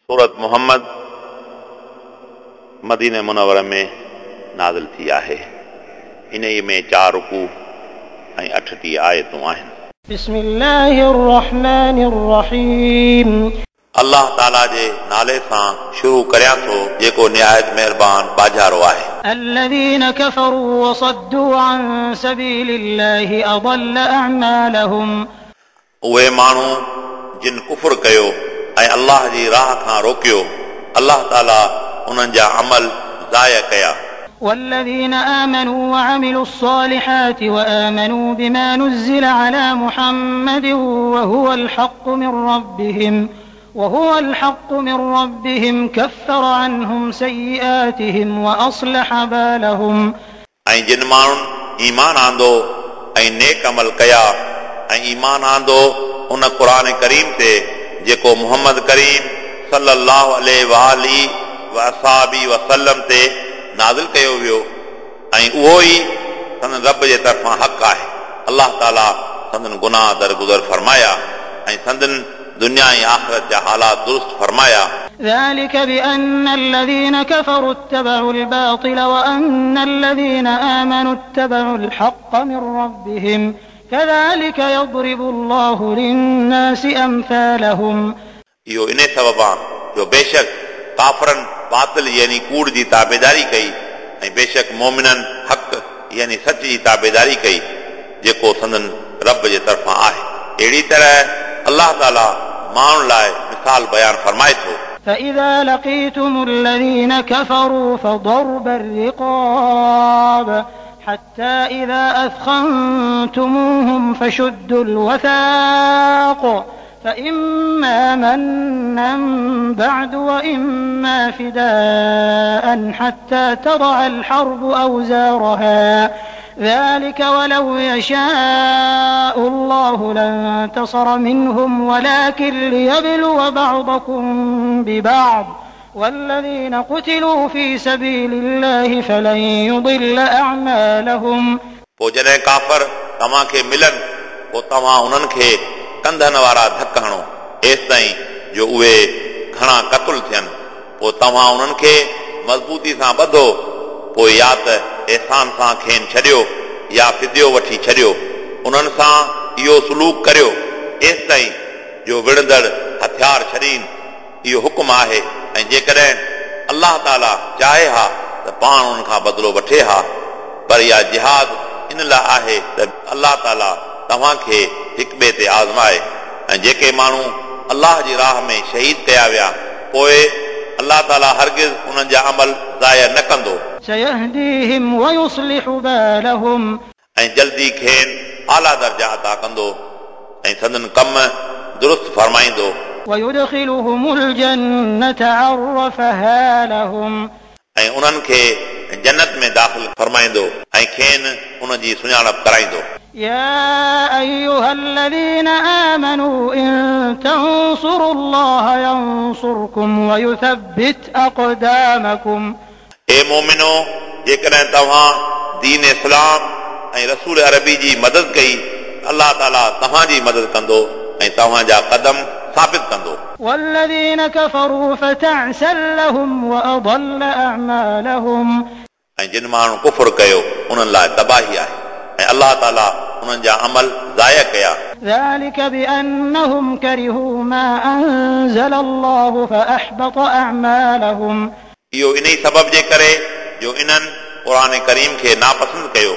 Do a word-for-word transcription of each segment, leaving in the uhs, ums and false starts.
सूरत मोहम्मद मदीने मुनव्वर में नाज़िल थी आहे। इन्हीअ में चार रुकू ऐं अठटीह आयतूं आहिनि। बिस्मिल्लाहिर रहमानिर रहीम। अल्लाह ताला जे नाले सां शुरू करियां थो जेको निहायत महिरबान बाजारो आहे। الذين كفروا وصدوا عن سبيل الله أضل أعمالهم। उहे माण्हू जिन कुफुर कयो ऐं अल्लाह जी राह खां रोकियो, अल्लाह ताला उन्हनि जा अमल ज़ाया कया। والذين آمنوا وعملوا الصالحات وآمنوا بما نزل على محمد وهو الحق من ربهم وهو الحق من ربهم كفر عنهم سيئاتهم وأصلح بالهم। ऐं जिन माण्हुनि ईमान आंदो ऐं नेक अमल कया ऐं ईमान आंदो उन क़ुर करीम ते जेको मोहम्मद करीम सल्लल्लाहु अलैहि वालिhi वअसहाबी वसल्लम ते नाज़िल कयो वियो ऐं उहो ई संदन रब जे तरफ़ां हक़ आहे। अल्लाह ताला संदन गुनाह दरगुज़र फरमाया ऐं संदन दुनिया ऐं आख़िरत जा हालात दुरुस्त फरमाया। ذلك بأن الذين كفروا اتبعوا الباطل وأن الذين آمنوا اتبعوا الحق من ربهم كذلك يضرب الله للناس أمثالهم। इहो इन सबबा जो बेशक काफ़रनि बातिल यानी कूड़ जी ताबेदारी कई ऐं बेशक मोमिननि हक़ यानी सच जी ताबेदारी कई जेको संदन रब जे तरफ़ां आहे। अहिड़ी तरह अल्लाह ताला माण्हुनि लाइ मिसाल बयानु फरमाए थो। فإذا لقيتم الذين كفروا فضرب الرقاب حتى إذا أثخنتموهم فشدوا الوثاق فإما منا بعد وإما فداء حتى تضع الحرب أوزارها ذلك ولو يشاء الله لانتصر منهم ولكن ليبلو بعضكم ببعض والذين قتلوا في سبيل الله فلن يضل أعمالهم। पोइ जॾहिं काफ़र तव्हांखे मिलनि पोइ तव्हां उन्हनि खे कंधनि वारा धक हणो एसि ताईं जो उहे घणा क़तल थियनि। पोइ तव्हां उन्हनि खे मज़बूती सां ॿधो, पोइ या त एहसान सां खेनि छॾियो या फिदियो वठी छॾियो। उन्हनि सां इहो सुलूक करियो एसि ताईं जो विढ़ंदड़ हथियार छॾीनि। इहो हुकुम आहे ऐं जेकॾहिं अल्लाह ताला चाहे हा त पाण उन्हनि खां बदिलो वठे हा, पर इहा जिहाद इन लाइ आहे त अल्लाह ताला तव्हांखे हिक ॿिए ते आज़माए। ऐं जेके माण्हू अल्लाह जी राह में शहीद कया विया पोइ अल्लाह ताला हरगिज़ उन्हनि जा अमल ज़ाया न कंदो। سيهديهم ويصلح بالهم। ऐं जल्दी खेनि आला दर्जा अता कंदो ऐं संदन कम दुरुस्त फरमाईंदो। ويدخلهم الجنة عرفها لهم। ऐं उन्हनि खे जन्नत में दाख़िल फरमाईंदो ऐं खेनि उन जी सुञाणप कराईंदो। يا أيها الذين آمنوا إن تنصروا الله ينصركم ويثبت أقدامكم। ए मोमिनो, जेकॾहिं तव्हां दीन इस्लाम ऐं रसूल अरबी जी मदद कई, अल्लाह ताला तव्हांजी मदद कंदो ऐं तव्हांजा कदम साबित कंदो। والذين كفروا فتعسا لهم وأضل أعمالهم। ऐं जिन माण्हू कुफुर कयो उन्हनि लाइ तबाही आहे ऐं अल्लाह ताला उन्हनि जा अमल ज़ाया कया। ذلك بأنهم كرهوا ما أنزل الله فأحبط أعمالهم। इहो इन ई सबब जे करे जो इन्हनि क़ुर करीम खे नापसंदि कयो,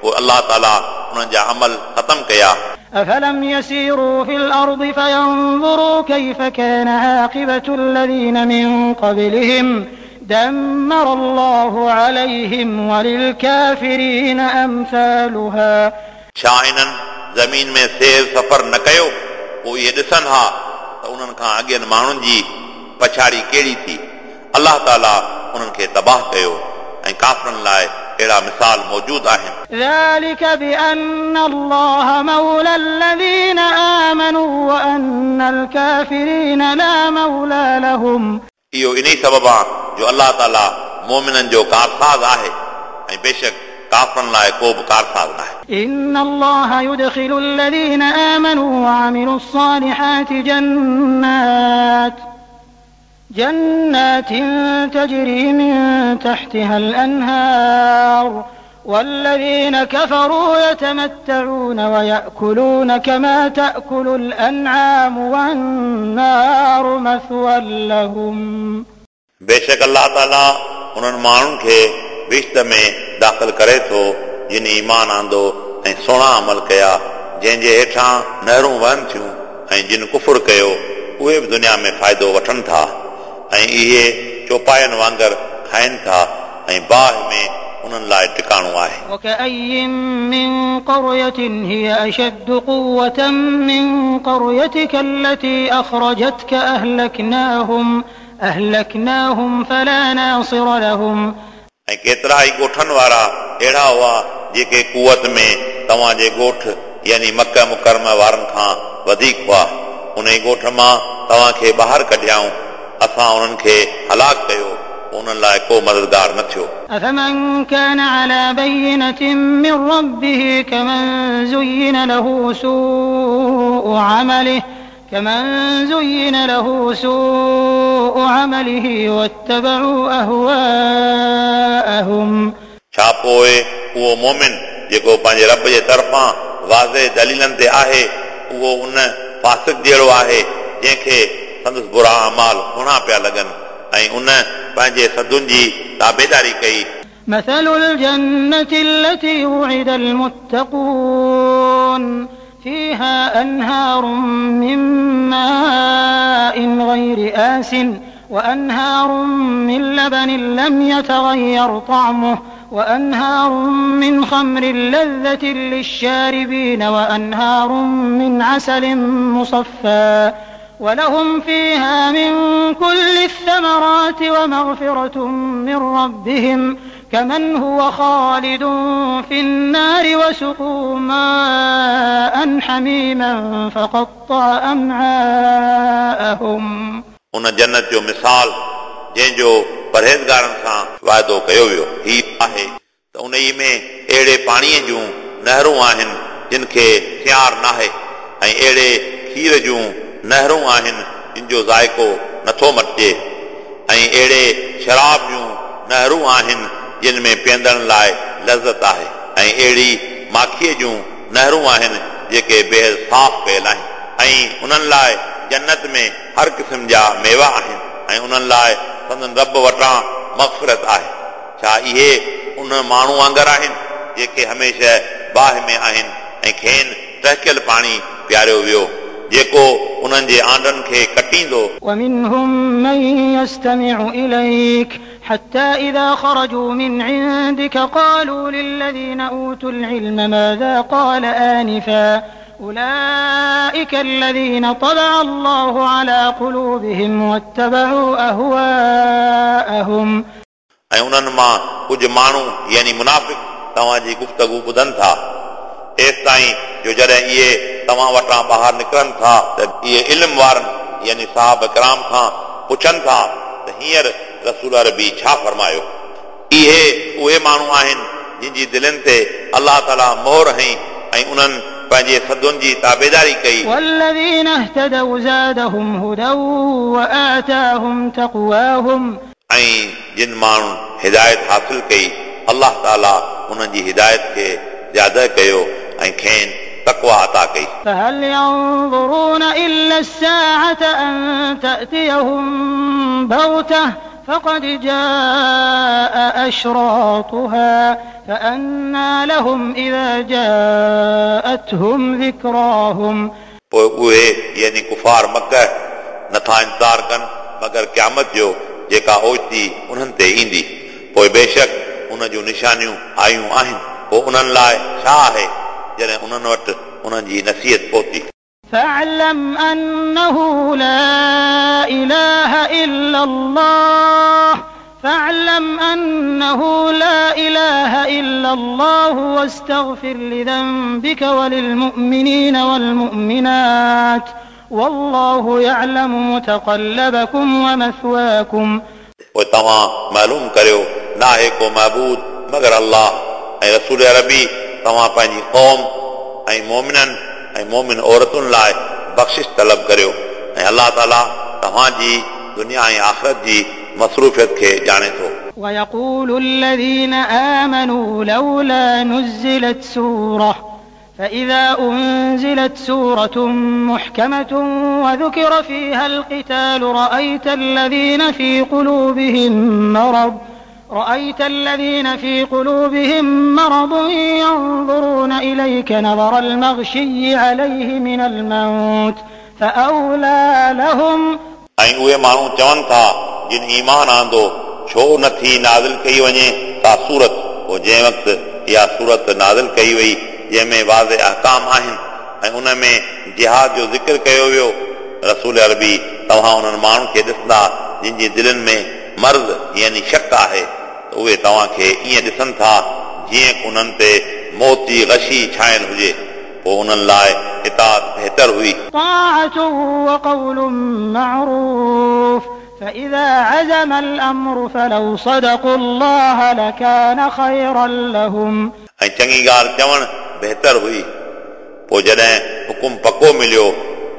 पोइ अल्लाह ताला उन्हनि जा अमल ख़तम कया। أفلم يسيروا في الأرض فينظروا كيف كان عاقبة الذين من قبلهم دمر الله عليهم وللكافرين أمثالها। छा इन्हनि ज़मीन में सैर सफ़र न कयो पोइ इहे ॾिसनि हा त उन्हनि खां अॻियनि माण्हुनि जी पछाड़ी कहिड़ी थी। अल्लाह ताला उन्हनि खे तबाह कयो ऐं काफ़रनि लाइ अहिड़ा मिसाल मौजूद आहिनि। ذلك بأن الله مولى الذين آمنوا وأن الكافرين لا مولى لهم। इहो इन ई सबब आहे जो अल्लाह ताला मोमिननि जो कारसाज़ आहे ऐं बेशक काफ़रनि लाइ को बि कारसाज़ न आहे। إن الله يدخل الذين آمنوا وعملوا الصالحات جنات جنات تجري من تحتها الأنهار والذين كفروا يتمتعون ويأكلون كما تأكل الأنعام والنار مثوى لهم. बेशक अल्लाह ताला उन्हनि माण्हुनि खे बहिश्त में दाख़िल करे थो जिन ईमान आंदो ऐं सुहिणा अमल कया, जंहिंजे हेठां नहरूं वहनि थियूं, ऐं जिन कुफुर कयो उहे बि दुनिया में फ़ाइदो वठनि था ऐं इहे चौपायनि वांगुरु खाइनि था ऐं बाहि में उन्हनि लाइ टिकाणो आहे. وكأي من قرية هي أشد قوة من قريتك التي أخرجتك أهلكناهم أهلكناهم فلا ناصر لهم. ऐं केतिरा ई ॻोठनि वारा अहिड़ा हुआ जेके कुवत में तव्हांजे ॻोठ यानी मक्का मुकरमा वारनि खां वधीक हुआ. उन ई ॻोठ मां तव्हांखे ॿाहिरि कढियाऊं, असां उन्हनि खे हलाक कयो, उन्हनि लाइ को मददगार न थियो. أفمن كان على بينة من ربه كمن زين له سوء عمله كمن زين له سوء عمله واتبعوا أهواءهم. छा पोइ उहो मोमिन जेको पंहिंजे रब जे तरफ़ां वाज़े दलीलनि ते आहे, उहो उन फ़ासिक जहिड़ो आहे जंहिंखे संदसि बुरा अमाल सुहिणा पिया लॻनि ऐं उन पंहिंजे सदुनि जी ताबेदारी कई. مثل الجنة التي وعد المتقون فيها أنهار من ماء غير آس وأنهار من لبن لم يتغير طعمه وأنهار من خمر لذة للشاربين وأنهار من عسل مصفى ولهم فيها من كل الثمرات ومغفرة من ربهم كمن هو خالد في النار وسقوا ماء حميما فقطع أمعاءهم. उन जन्नत जो मिसाल जंहिंजो परहेज़गारनि सां वाइदो कयो वियो ही आहे त उन में अहिड़े पाणीअ जूं नहरूं आहिनि जिन खे सियार नाहे ऐं अहिड़े खीर जूं नहरूं आहिनि जिन जो ज़ाइको नथो मटिजे ऐं अहिड़े शराब जूं नहरूं आहिनि जिन में पीअंदड़नि लाइ लज़त आहे ऐं अहिड़ी माखीअ जूं नहरूं आहिनि जेके बेहद साफ़ कयल आहिनि ऐं उन्हनि लाइ जन्नत में हर क़िस्म जा मेवा आहिनि ऐं उन्हनि लाइ संदन रब वटां मग़फ़िरत आहे. छा इहे उन माण्हू वांगुरु आहिनि जेके हमेशह बाहि में आहिनि ऐं खेनि टहकियल पाणी पीआरियो वियो जेको उन्हनि जे आंडनि खे कटींदो. ومنهم من يستمع إليك حتى إذا خرجوا من عندك قالوا للذين أوتوا العلم ماذا قال آنفا أولئك الذين طبع الله على قلوبهم واتبعوا أهواءهم. ऐं उन्हनि मां कुझु माण्हू यानी मुनाफ़िक तव्हांजी गुफ़्तगू ॿुधनि था एसि ताईं जो जॾहिं इहे तव्हां वटां ॿाहिरि निकिरनि था त इहे इल्म वारनि यानी साहब कराम खां पुछनि था त हींअर रसूल अरबी छा फरमायो. इहे उहे माण्हू आहिनि जिन जी दिलनि ते अल्लाह ताला मोहर हई ऐं उन्हनि पंहिंजे सदुनि जी ताबेदारी कई. والذين اهتدوا زادهم هدى وآتاهم تقواهم. ऐं जिन माण्हुनि हिदायत हासिल कई अल्लाह ताला उन्हनि जी हिदायत खे ज़्यादा कयो ऐं खेनि तक़वा अता कई. فهل ينظرون إلا الساعة أن تأتيهم بغتة فقد جاء أشراطها فأنى لهم إذا جاءتهم ذكراهم. पोइ उहे यानी कुफार मक्का नथा इंतज़ार कनि मगर क़यामत जो जेका ओचिती उन्हनि ते ईंदी. पोइ बेशक उन जूं निशानियूं आयूं आहिनि, पोइ उन्हनि लाइ छा आहे जॾहिं उन्हनि वटि उन्हनि जी नसीहत पहुती. فاعلم أنه لا إله إلا الله فاعلم أنه لا إله إلا الله واستغفر لذنبك وللمؤمنين والمؤمنات والله يعلم متقلبكم ومثواكم. पोइ तव्हां मालूम करियो नाहे को महबूद मगर अल्लाह ऐं रसूल अरबी तव्हां पंहिंजी क़ौम ऐं मोमिननि ऐं मोमिन औरतुनि लाइ बख़्शिश तलब करियो ऐं अल्लाह ताला तव्हांजी दुनिया ऐं आख़िरत जी मसरूफ़ियत खे ॼाणे थो। ويقول الذين آمنوا لولا نزلت سورة فإذا أنزلت سورة محكمة وذكر فيها القتال رأيت الذين في قلوبهم مرض رأيت الذين في قلوبهم مرض ينظرون إليك نظر المغشي عليه من الموت فأولى لهم ऐं उहे माण्हू चवनि था जिन ईमान आंदो छो नथी नाज़िल कई वञे का सूरत। पोइ जंहिं वक़्तु इहा सूरत नाज़िल कई वई जंहिंमें वाज़े अहकाम आहिनि ऐं उन में जिहाद जो ज़िक्र कयो वियो, रसूल अरबी तव्हां उन्हनि माण्हुनि खे ॾिसंदा जिन जी दिलनि में मर्ज़ यानी शक आहे त उहे तव्हांखे ईअं ॾिसनि था जीअं उन्हनि ते मौत जी गशी छायल हुजे, पोइ उन्हनि लाइ इताअत बहितर हुई। طاعة وقول معروف فإذا عزم الأمر فلو صدقوا الله لكان خيرا لهم। ऐं चङी ॻाल्हि चवणु बहितर हुई। पोइ जॾहिं हुकुम पको मिलियो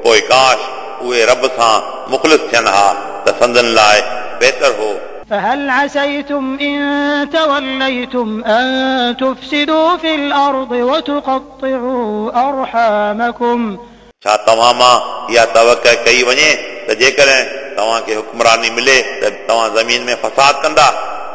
पोइ काश उहे रब सां मुख़लिस थियनि हा त संदन लाइ बहितर हो। فهل عسيتم إن توليتم أن تفسدوا في الأرض وتقطعوا أرحامكم। छा तव्हां मां इहा तवक़ कई वञे त जेकॾहिं तव्हांखे हुक्मरानी मिले त तव्हां ज़मीन में फसाद कंदा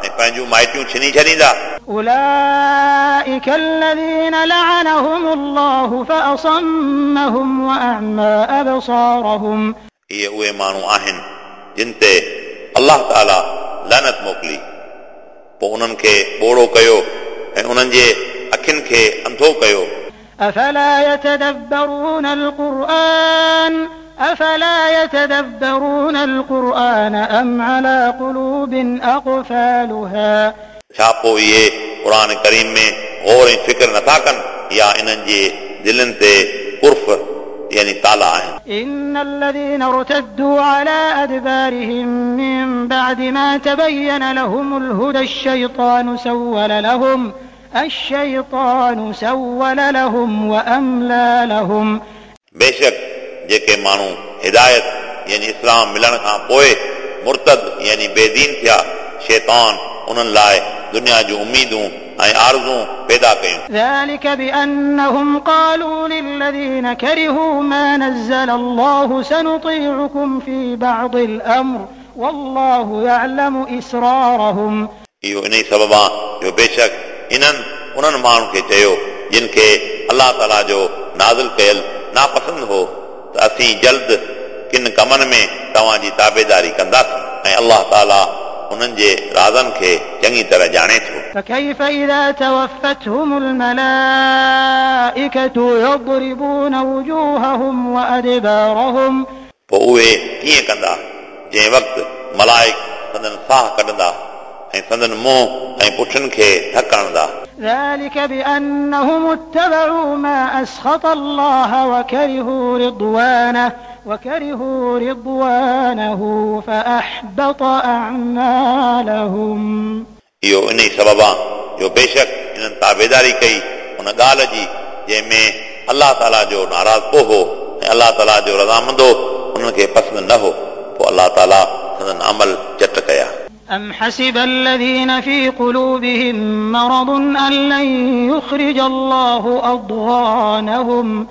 ऐं पंहिंजूं माइटियूं छिनी छॾींदा। أولئك الذين لعنهم الله فأصمهم وأعمى أبصارهم। इहे उहे माण्हू आहिनि जिन ते अलाह ताला लानत मोकिली, पोइ उन्हनि खे ॿोड़ो कयो ऐं उन्हनि जे अखियुनि खे अंधो कयो। أفلا يتدبرون القرآن أفلا يتدبرون القرآن أم على قلوب أقفالها। छा पोइ इहे क़ुर करीम में गौर ऐं फ़िक्र नथा कनि या इन्हनि जे दिलनि ते कुर्फ यानी ताला आहिनि। إن الذين ارتدوا على أدبارهم من بعد ما تبين لهم الهدى الشيطان سول لهم الشيطان سول لهم وأملى لهم। बेशक जेके माण्हू हिदायत यानी इस्लाम मिलण खां पोइ मुर्तद यानी बेदीन थिया, शैतान उन्हनि लाइ दुनिया जूं उम्मीदूं ऐं आरज़ूं पैदा कयूं। ذلك بأنهم قالوا للذين كرهوا ما نزل الله سنطيعكم في بعض الأمر والله يعلم إسرارهم। इहो इन ई सबब आहे जो बेशक इन्हनि उन्हनि माण्हुनि खे चयो जिन खे अलाह ताला जो नाज़िल कयल नापसंदि हो त असीं जल्द किन कमनि में तव्हांजी ताबेदारी कंदासीं ऐं अलाह ताला उन्हनि जे राज़नि खे चङी तरह ॼाणे थो। فكيف إذا توفتهم الملائكة يضربون وجوههم وأدبارهم। पोइ उहे कीअं कंदा जंहिं वक़्तु मलाइक संदन साह कढंदा ऐं संदन मुंहुं ऐं पुठनि खे धक हणंदा। ذلك بأنهم اتبعوا ما أسخط الله وكرهوا رضوانه وكرهوا رضوانه فأحبط أعمالهم। इहो इन ई सबब आहे जो बेशक इन्हनि ताबेदारी कई उन ॻाल्हि जी जंहिंमें अलाह ताला जो नाराज़पो हो ऐं अलाह ताला जो रज़ामंदो उन्हनि खे पसंदि न हो, पोइ अलाह ताला संदन अमल चट कया। أم حسب الذين في قلوبهم مرض أن لن يخرج الله أضغانهم।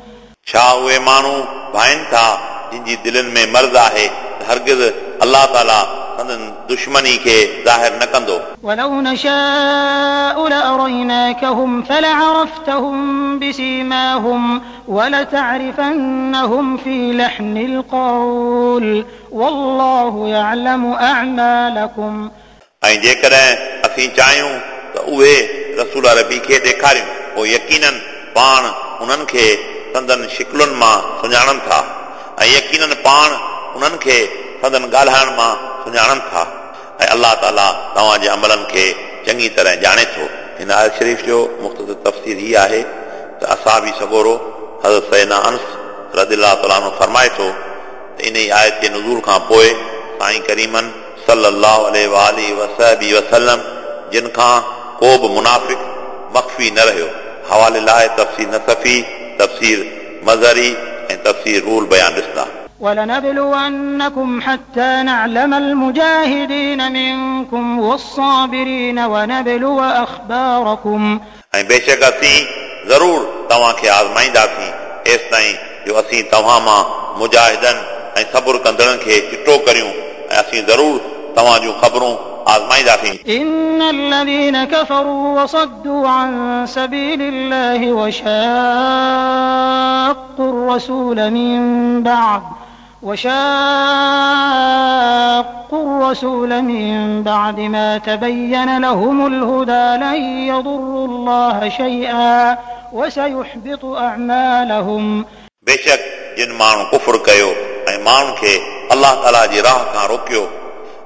छा उहे माण्हू भाइनि था जिन जी दिलनि में मर्ज़ आहे त हरगिज़ अलाह ताला संदन दुश्मनी खे ज़ाहिर न कंदो। ولو نشاء لأريناكهم فلعرفتهم بسيماهم ولتعرفنهم في لحن القول والله يعلم أعمالكم। ऐं जेकॾहिं असीं चाहियूं त उहे रसूल अरबी खे ॾेखारियूं, पोइ यकीनन पाण उन्हनि खे संदन शिकलुनि मां सुञाणनि था ऐं यकीनन पाण उन्हनि खे संदन ॻाल्हाइण मां सुञाणनि था ऐं अलाह ताला तव्हांजे अमलनि खे चङी तरह ॼाणे थो। हिन आयत शरीफ़ जो मुख़्तसर तफ़सीर हीअ आहे त असाबी सगोरो हज़रत सैना अनस रज़ियल्लाहु तआला अन्हु फरमाए थो त इन ई आयत जे नुज़ूल खां पोइ साईं करीमन सल्लल्लाहु अलैहि वालिहि वसहबी वसल्लम जिन खां को बि मुनाफ़िक मख़फ़ी न रहियो। हवाले लाइ तफ़सीर नसफ़ी, तफ़सीर मज़हरी ऐं तफ़सीर रूल बयान ॾिसंदा। ولنبلونكم حتى نعلم المجاهدين منكم والصابرين ونبلو أخباركم. ऐं बेशक असीं ज़रूर तव्हांखे आज़माईंदासीं एसिताईं जो असीं तव्हां मां मुजाहिदनि ऐं सब्र कंदड़नि खे चिटो करियूं ऐं असीं ज़रूर तव्हां जूं ख़बरूं आज़माईंदासीं. إن الذين كفروا وصدوا عن سبيل الله وشاقوا الرسول من بعد وشاقوا الرسول من بعد ما تبين لهم الهدى لن يضروا الله شيئا وسيحبط أعمالهم. बेशक जिन माण्हू कुफुर कयो ऐं माण्हुनि खे अलाह ताला जी राह खां रोकियो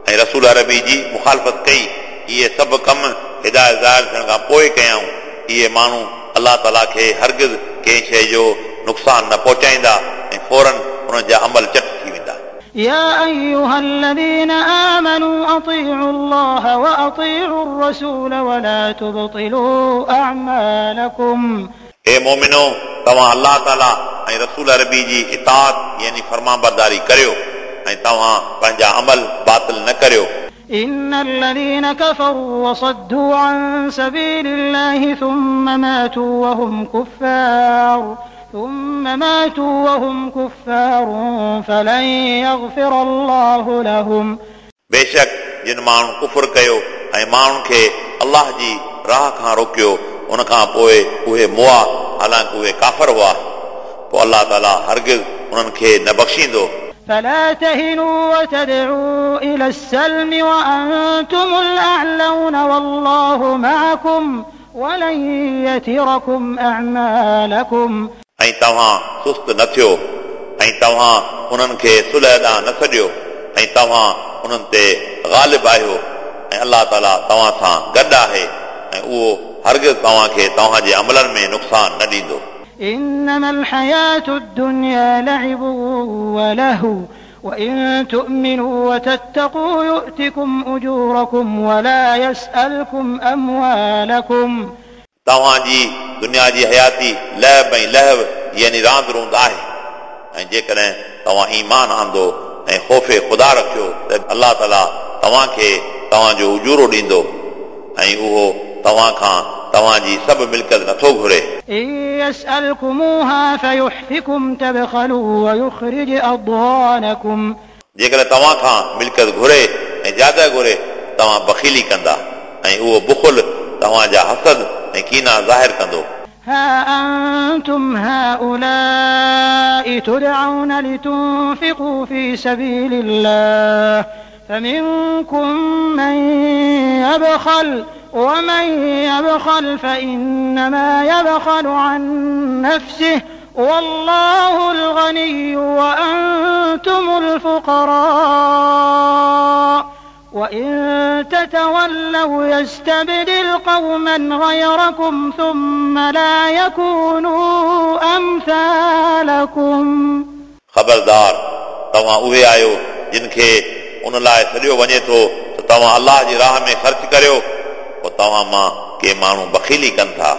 ऐं रसूल अरबी जी मुखालफ़त कई, इहे सभु कम हिदायत ज़ाहिर थियण खां पोइ कयाऊं। इहे माण्हू अलाह ताला खे हरगिज़ कंहिं शइ जो नुक़सानु न पहुचाईंदा ऐं फ़ौरन उन्हनि जा अमल चट थी वेंदा। يا أيها الذين آمنوا أطيعوا الله وأطيعوا الرسول ولا تبطلوا أعمالكم. ए मोमिनो, तव्हां अलाह ताला ऐं रसूल अरबी जी इताअत यानी फरमाबरदारी करियो ऐं तव्हां पंहिंजा अमल बातिल न करियो। إن الذين كفروا وصدوا عن سبيل الله ثم ماتوا وهم كفار ثم ماتوا وهم كفار فلن يغفر الله لهم. बेशक जिन माण्हू कुफुर कयो ऐं माण्हुनि खे अलाह जी राह खां रोकियो उन खां पोइ उहे मुआ, हालांकि उहे काफ़र हुआ, पोइ अलाह ताला हरगिज़ उन्हनि खे न बख़्शींदो। فلا تهنوا وتدعوا إلى السلم وأنتم الأعلون والله معكم ولن يتركم أعمالكم. ऐं तव्हां सुस्त न थियो ऐं तव्हां उन्हनि खे सुलह ॾांहुं न छॾियो ऐं तव्हां उन्हनि ते ग़ालिब आहियो ऐं अलाह ताला तव्हां सां गॾु आहे ऐं उहो हरगिज़ तव्हांखे तव्हांजे अमलनि में नुक़सानु न ॾींदो। إنما الحياة الدنيا لعب ولهو وإن تؤمنوا وتتقوا يؤتكم أجوركم ولا يسألكم أموالكم. तव्हांजी दुनिया जी हयाती लहब ऐं लहव यानी रांदि रूंद आहे ऐं जेकॾहिं तव्हां ईमान आंदो ऐं ख़ौफ़े ख़ुदा रखियो त अलाह ताला तव्हांखे तव्हांजो उजूरो ॾींदो ऐं उहो तव्हां खां तव्हांजी सभु मिल्कियत नथो घुरे। إن يسألكموها فيحفكم تبخلوا ويخرج أضغانكم. जेकॾहिं तव्हां खां मिल्कियत घुरे ऐं ज़्यादा घुरे तव्हां बख़ीली कंदा ऐं उहो बुखुल तव्हांजा हसद ऐं कीना ज़ाहिर कंदो। ها أنتم هؤلاء تدعون لتنفقوا في سبيل الله فمنكم من يبخل ومن يبخل فإنما يبخل عن نفسه والله الغني وأنتم الفقراء وإن تتولوا يستبدل قوما غيركم ثم لا يكونوا أمثالكم. ख़बरदार तव्हां उहे आहियो जिन खे उन लाइ सॾियो वञे थो त तव्हां अलाह जी राह में ख़र्च करियो, पोइ तव्हां मां के माण्हू बख़ीली कनि था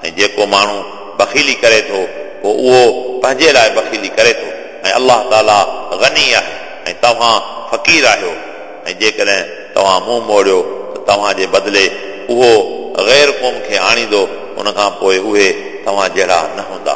ऐं जेको माण्हू बख़ीली करे थो पोइ उहो पंहिंजे लाइ बख़ीली करे थो ऐं अलाह ताला गनी आहे ऐं तव्हां फ़क़ीर आहियो ऐं जेकॾहिं तव्हां मुंहुं मोड़ियो त तव्हांजे बदिले उहो ग़ैर क़ौम खे आणींदो, उन खां पोइ उहे तव्हां जहिड़ा न हूंदा।